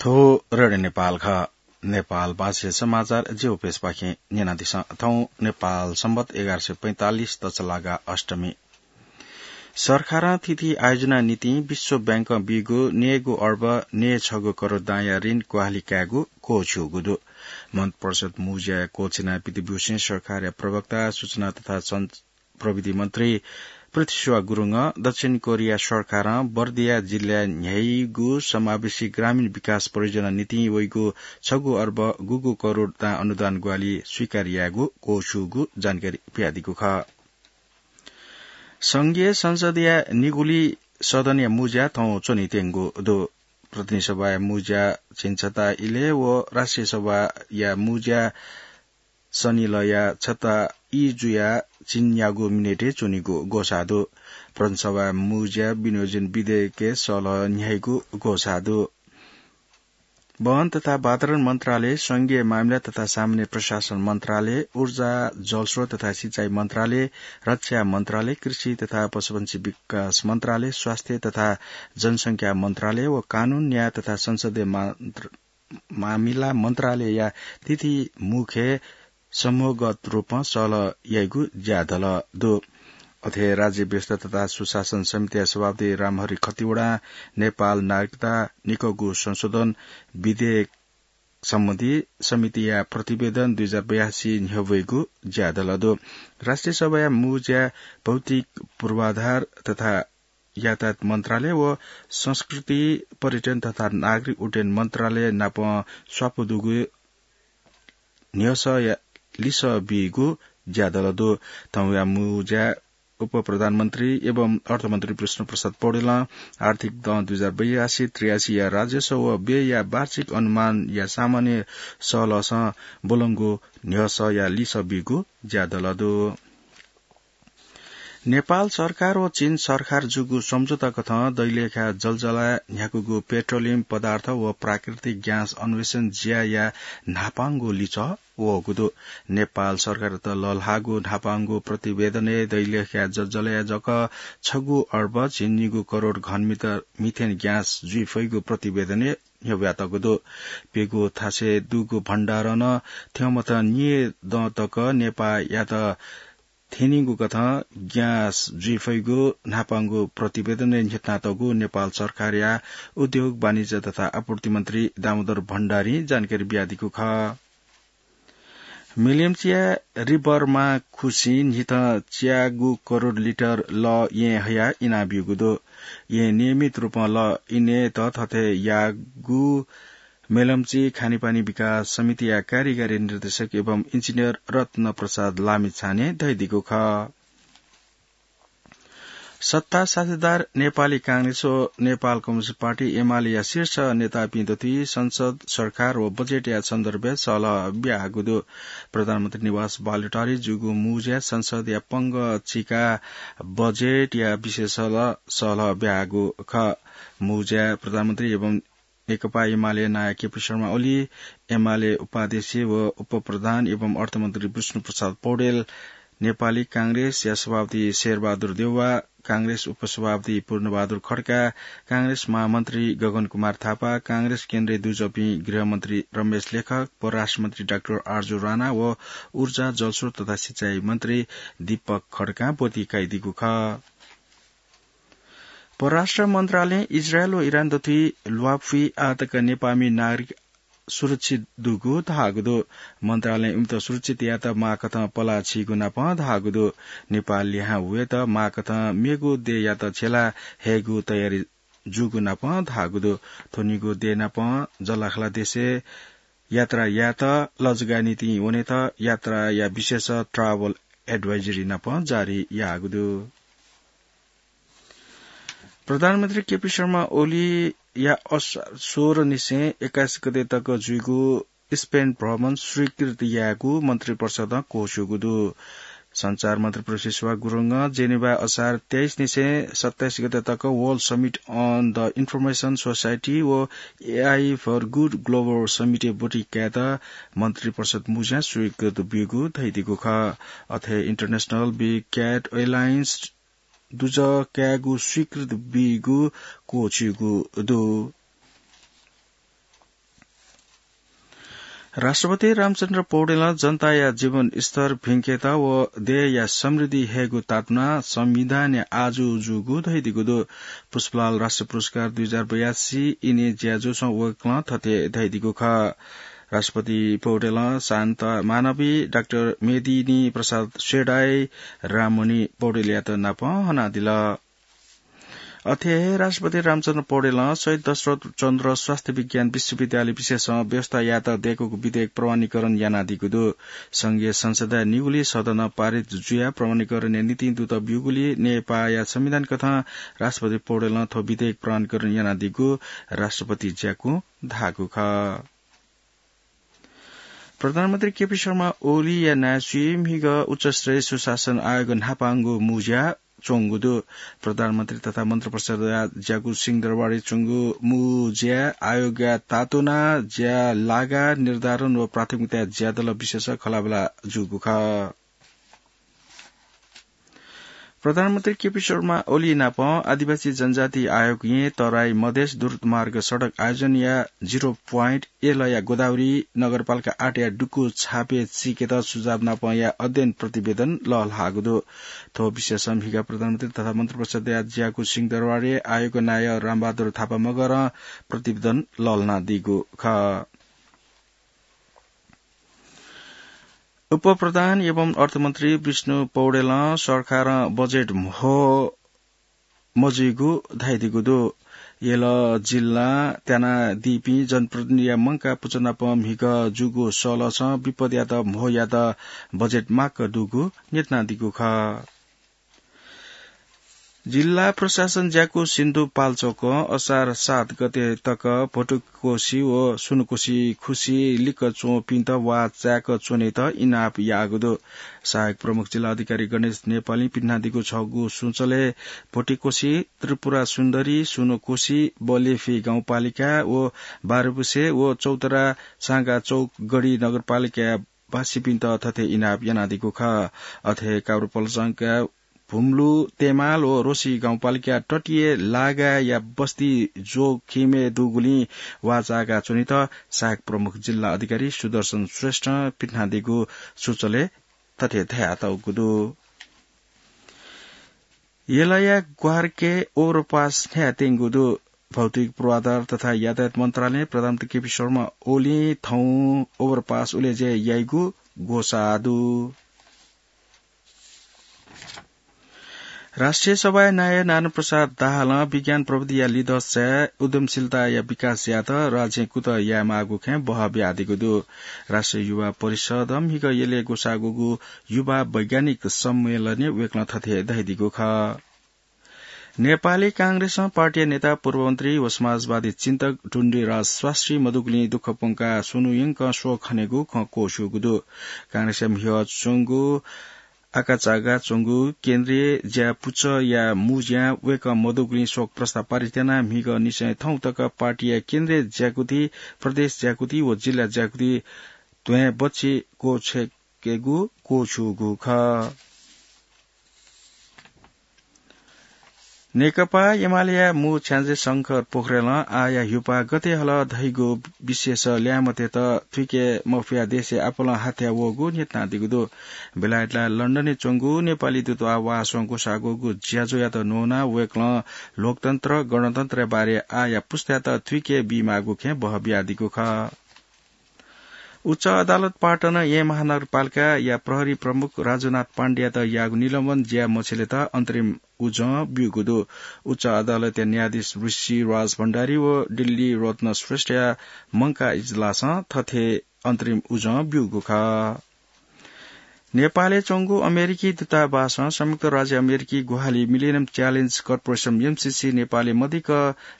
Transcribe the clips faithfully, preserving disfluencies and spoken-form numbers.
थ्व रेडियो नेपाल खः। नेपाल भाषा समाचार जिगु पेजपाखें न्यनादिसँ। थौं नेपाल संवत एघार सय पैंतालिस तछलागा अष्टमी। सरकारं थीथी आयोजना निंतिं विश्व बैंकं बीगु नयेगु अर्ब नयेछगू करोड दांया ऋण ग्वाहालि कायेगु क्वःछिउगु दु। मन्त्रिपरिषद मुँज्या क्वःछिना पितब्यूसें सरकारया प्रवक्ता सूचना तथा सं-, प्रविधि मन्त्री पृथ्वीसेवा गुरुङं दक्षिण कोरिया सरकारं बर्दिया जिल्लाय् न्ह्याइगु समावेशी ग्रामीण विकास परियोजना निंतिं वइगु छगू अर्ब गुगू करोड दां अनुदान ग्वाहालि स्वीकार यायेगु क्वःछिउगु जानकारी बियादीगु खः। संघीय संसदया निगुलिं सदनया मुँज्या थौं च्वनीत्यंगु दु। प्रतिनिधि सभाया मुँज्या झिंछता इलय् व राष्ट्रिय सभाया मुँज्या सनिलया छता ई जुयाः झिंन्यागू मिनेटय् च्वनीगु ग्वसाः दु। प्रतिनिधि सभाया मुँज्या विनियोजन विधेयकय् सलह न्ह्याइगु ग्वसाः दु। वन तथा वातावरण मन्त्रालय, संघीय मामिला तथा सामान्य प्रशासन मन्त्रालय, ऊर्जा, जलस्रोत तथा सिँचाइ मन्त्रालय, रक्षा मन्त्रालय, कृषि तथा पशुपन्छी विकास मन्त्रालय, स्वास्थ्य तथा जनसंख्या मन्त्रालय व कानून, न्याय तथा संसदीय मन्त्र-, मामिला मन्त्रालयया थीथी मुख्य समूहगत रूपं सलह याइगु ज्याझ्वः दु। अथे राज्य व्यवस्था तथा सुशासन समितिया सभापति रामहरि खतिवडां नेपाल नागरिकता निकःगु संशोधन विधेयक सम्बन्धी समितिया प्रतिवेदन दुई हजार बयासी न्ह्यब्वइगु ज्याझ्वः दु। राष्ट्रिय सभाया मुँज्या भौतिक पूर्वाधार तथा यातायात मन्त्रालय व संस्कृति, पर्यटन तथा नागरिक उड्डयन मन्त्रालय नाप स्वापू दुगु न्ह्यसःया लिसः बीगु ज्याझ्वः दु। थौंया मुँज्या उपप्रधानमन्त्री एवं अर्थमन्त्री विष्णुप्रसाद पौडेलं आर्थिक दँ दुई हजार बयासी त्रियासीया राजस्व व व्ययया वार्षिक अनुमानया सामान्य सलहसं ब्वलंगु न्ह्यसःया लिसः बीगु ज्याझ्वः दु। नेपाल सरकार व चीन सरकार जूगु सम्झौता कथं दैलेखा जलजलाय् न्ह्याकूगु पेट्रोलियम पदार्थ व प्राकृतिक ग्यास अन्वेषण ज्याया न्हापांगु लिचः वःगु दु। नेपाल सरकारयात लःल्हाःगु न्हापांगु प्रतिवेदनय् दैलेखा जलजलाय् जक छगू अर्ब झिंनिगू करोड घनमिटर मिथेन ग्यास जुइ फइगु प्रतिवेदनय् न्ह्यब्वयातःगु दु। प्यगू थासय् दुगु भण्डारं नं थ्यंमथं निदँ तक नेपाःयात थ्यनीगु कथं ग्यास जुइ फइगु न्हापांगु प्रतिवेदनय् न्ह्यथनातःगु नेपाल सरकारया उद्योग, वाणिज्य तथा आपूर्ति मन्त्री दामोदर भण्डारीं जानकारी बियादीगु खः। मेलम्चीया रिभरमा खुसिं न्हिथं च्यागू करोड लिटर लः येँ हयाः इनाब्यूगु दु। येँ नियमित रूपं लः इनेत थथे याःगु मेलम्ची खानेपानी विकास समितिया कार्यकारी निर्देशक एवं इन्जिनियर रत्न प्रसाद लामिछानें धयादीगु खः। सत्ता साझेदार नेपाली कांग्रेस व नेपाल कम्युनिस्ट पार्टी एमालेया शीर्ष नेतापिं दथुइ संसद, सरकार व बजेटया सन्दर्भय् सलह ब्याहागु दु। प्रधानमन्त्री निवास बालुवाटारय् जूगु मुँज्या संसदया पंगः चिका बजेटया विषयय् सलह, सलह ब्याहागु खः। मुँज्या प्रधानमन्त्री एवं नेकपा एमाले नायः केपी शर्मा ओली, एमाले उपाध्यक्ष व उपप्रधान एवं अर्थमन्त्री विष्णुप्रसाद पौडेल, नेपाली कांग्रेसया सभापति शेरबहादुर देउवा, कांग्रेस उपसभापति पूर्णबहादुर खड्का, कांग्रेस महामन्त्री गगन कुमार थापा, कांग्रेस केन्द्रीय दुजःपिं गृहमन्त्री रमेश लेखक, परराष्ट्रमन्त्री डाक्टर आरजु राणा व ऊर्जा, जलस्रोत तथा सिँचाइ मन्त्री दीपक खड्कां ब्वति कयादीगु खः। परराष्ट्र मन्त्रालयं इजरायल व इरान दथुइ ल्वापुइ आःतक नेपाःमि नागरिक सुरक्षित दुगु धाःगु दु। मन्त्रालयं इमित सुरक्षित यायेत माःकथं पलाः छीगु नापं धाःगु दु। नेपाः लिहां वयेत माःकथं मेगु देय्‌यात छ्यला हयेगु तयारी जूगु नापं धाःगु दु। थ्वनिगु देय् नापं जःलाखःला देशय् यात्रा यायेत, लजगाः निंतिं वनेत यात्राया विशेष travel advisory नापं जारी याःगु दु। प्रधानमन्त्री केपी शर्मा ओलीया असार सोह्र निसें एक्काइस गते तक जुइगु स्पेन भ्रमण स्वीकृत यायेगु मन्त्रिपरिषदं क्वःछिउगु दु। सञ्चार मन्त्री पृथ्वीसेवा गुरुङं जेनेवाय् असार तेइस निसें सत्ताइस गते तक World Summit on the Information Society व AI for Good Global Summit-य् ब्वति कायेत मन्त्रिपरिषद मुँज्यां स्वीकृत ब्यूगु धयादीगु खः। अथे International Big Cat Alliance दुजः कायेगु स्वीकृत बीगु क्वःछिउगु दु। राष्ट्रपति रामचन्द्र पौडेलं जनताया जीवन स्तर भिंकेत व देय्‌या समृद्धि हयेगु तातुना संविधानया आजु जूगु धयादीगु दु। पुष्पलाल राष्ट्रिय पुरस्कार दुई हजार बयासी इने ज्याझ्वलय् वय्‌कलं थथे धयादीगु खः। राष्ट्रपति पौडेलं शान्ता मानवी, डाक्टर मेदिनी प्रसाद सेडाई, राममणि पौडेलयात नापं हनादिल। अथे हे राष्ट्रपति रामचन्द्र पौडेलं शहीद दशरथ चन्द्र स्वास्थ्य विज्ञान विश्वविद्यालय विशेषं व्यवस्था यायेत दय्‌कूगु विधेयक प्रमाणीकरण यानादीगु दु। संघीय संसदया निगुलिं सदनं पारित जुयाः प्रमाणीकरणया निंतिं दुत ब्यूगुलिं नेपाःया संविधान कथं राष्ट्रपति पौडेलं थ्व विधेयक प्रमाणीकरण यानादीगु राष्ट्रपति ज्याकुं धाःगु खः। प्रधानमन्त्री केपी शर्मा ओलीया नायःसुइ म्हिगः उच्चस्तरीय सुशासन आयोग न्हापांगु मुँज्या च्वंगु दु। प्रधानमन्त्री तथा मन्त्रिपरिषदया ज्याकू सिंहदरबारय् च्वंगु मुँज्याय् आयोगया तातुना ज्या लागा निर्धारण व प्राथमिकताया ज्यादल विशेष खँल्हाबल्हा जूगु खः। प्रधानमन्त्री केपी शर्मा ओली नाप आदिवासी जनजाति आयोगं तराई मधेस द्रुत मार्ग सडक आयोजनया zero point एलया गोदावरी नगरपालिका आठया डुकु छापे चीकेत सुझाव नापया अध्ययन प्रतिवेदन लःल्हाःगु दु। थ्व विषयस म्हिगः प्रधानमन्त्री तथा मन्त्रिपरिषदया ज्याकू सिंहदरबारय् आयोगया नायः रामबहादुर थापा मगरं प्रतिवेदन लःल्हानादीगु खः। उपप्रधान एवं अर्थमन्त्री विष्णु पौडेलं सरकारं बजेट म्हो मजुइगु धयादीगु दु। यल जिल्लां त्यानादीपिं जनप्रतिनिधिया मंकाः पुचः नाप म्हिगः जूगु सलसं विपदयात म्हो यायेत बजेट माक्क दुगु न्ह्यथनादीगु खः। जिल्ला प्रशासन ज्याकू सिन्धुपाल्चोकं असार सात गते तक भोटुकोसी व सुनकोसी खुसी लिक्क च्वंपिन्त वाः चाय्क च्वनेत इनाप याःगु दु। सहायक प्रमुख जिल्ला अधिकारी गणेश नेपालीं पिन्हादीगु छगू सूचलय् भोटिकोसी, त्रिपुरा सुन्दरी, सुनकोसी, बलेफे गाउँपालिका व बारुबुसे व चौतरा सांगा चौक गढी नगरपालिकाया बासिपिन्त थथे इनाप यानादीगु खः। अथे काभ्रेपलचंका भुम्लु, तेमाल व रोसी गाउँपालिका तटीय लागाया बस्ती जोखिमय् दुगुलिं वाः चाय्का च्वनेत सहायक प्रमुख जिल्ला अधिकारी सुदर्शन श्रेष्ठं पिन्हादीगु सूचलय् थथे धयातःगु दु। यलया ग्वाहारके overpass न्ह्यायेत्यंगु दु। भौतिक पूर्वाधार तथा यातायात मन्त्रालयं प्रधानमन्त्री केपी शर्मा ओलीं थौं overpass उलेज्याय् याइगु ग्वसाः दु। राष्ट्रिय सभाया नायः नारायण प्रसाद दाहालं विज्ञान प्रविधिया लिधंसाय् उद्यमशीलताया विकास यायेत राज्यं कुतः यायेमाःगु खँय् बहः बियादीगु दु। राष्ट्रिय युवा परिषदं म्हिगः यलय् ग्वसाःगु युवा वैज्ञानिक सम्मेलनय् वय्कलं थथे धयादीगु खः। नेपाली कांग्रेसं पार्टीया नेता पूर्वमन्त्री व समाजवादी चिन्तक टुण्डिराज शास्त्री मदुगुलिं दुःख प्वंकाः स्वन्हु यंकं शोक हनेगु खँ क्वछूगु दु। कांग्रेसया म्हिगः च्वंगु आकाचागा च्वंगु केन्द्रीय ज्या पुचःया मुँज्यां वय्कः मदुगुलिं शोक प्रस्ताव पारित यानाः म्हिगः निसें थौं तक पार्टीया केन्द्रीय ज्याकुथि, प्रदेश ज्याकुथि व जिल्ला ज्याकुथि ध्वाँय् बच्छि क्वछ्यकेगु क्वछूगु खः। नेकपा एमालेया मू छ्याञ्जे शंकर पोखरेलं आःया ह्युपाः गथे हल धइगु विषयस ल्याय्म्हतेत थुइके मफयाः देशय् आपालं हाथ्याः वःगु न्ह्यथनादीगु दु। बेलायतया लन्डनय् च्वंगु नेपाली दूतावासं ग्वसाःगु ज्याझ्वःयात न्वनाः वय्कलं लोकतन्त्र, गणतन्त्रया बारे आःया पुस्तायात थुइके बीमाःगु खँय् बहः बियादीगु खः। उच्च अदालत पाटन येँ महानगरपालिकाया प्रहरी प्रमुख राजुनाथ पाण्डेयात याःगु निलम्बन ज्या मछिलेत अन्तरिम उजं ब्यूगु दु। उच्च अदालतया न्यायाधीश ऋषिराज भण्डारी व दिल्ली रत्न श्रेष्ठया मंकाः इजलासं थथे अन्तरिम उजं ब्यूगु खः। नेपालय् च्वंगु अमेरिकी दूतावासं संयुक्त राज्य अमेरिकी ग्वाहालि Millennium Challenge Corporation, एमसीसी, नेपालय् मदिक्क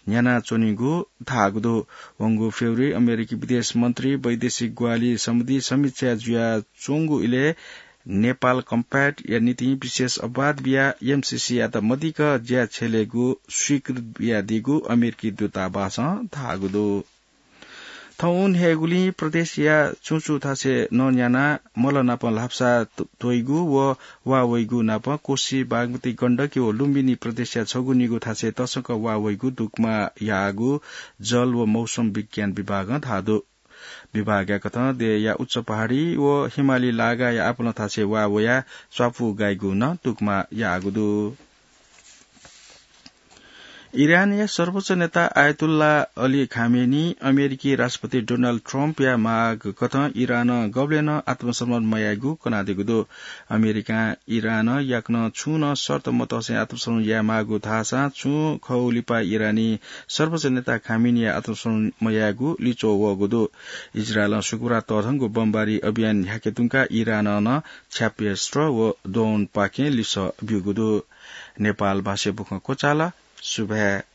न्ह्यानाच्वनीगु धाःगु दु। वंगु फेब्रुअरी अमेरिकी विदेश मन्त्री वैदेशिक ग्वाहालि सम्बन्धी समीक्षा जुयाच्वंगु इलय् नेपाल Compact या निंतिं विशेष अपवाद बियाः एमसीसीयात मदिक्क ज्या छ्यलेगु स्वीकृति बियादीगु अमेरिकी दूतावासं धाःगु दु। थौं न्ह्याइगुलिं प्रदेशया चुंचु थासय् नँ न्यानाः मल नाप ल्हापसा त्वइगु व वाः वइगु नाप कोशी, बागमती, गण्डकी व लुम्बिनी प्रदेशया छगू निगू थासय् तसकं वाः वइगु दुग्मा याःगु जल व मौसम विज्ञान विभागं धाःगु दु। विभागया कथं देय्‌या उच्च पहाडी व हिमाली लागाया आपालं थासय् वा वयाः स्वापू गाइगु नं तुकमा याःगु दु। इरानया सर्वोच्च नेता आयतुल्ला अली खामेनी अमेरिकी राष्ट्रपति डोनाल्ड ट्रम्पया माग कथं इरानं गबलें नं आत्मसमर्पण मयायेगु कनादीगु दु। अमेरिकां इरानं याकनं छुं नं शर्त मतसे आत्मसमर्पण यायेमाःगु धाःसां छुं खः लिपा इरानी सर्वोच्च नेता खामेनीया आत्मसमर्पण मयायेगु लिच्वः वःगु दु। इजरायलं शुक्रबार तःधंगु बमबारी अभियान न्ह्याके धुंकाः इरानं नं क्षेपणास्त्र व ड्रोनपाखें लिसः ब्यूगु दु। नेपाल भाषाय् बुखँ क्वचाल। सुभाय्।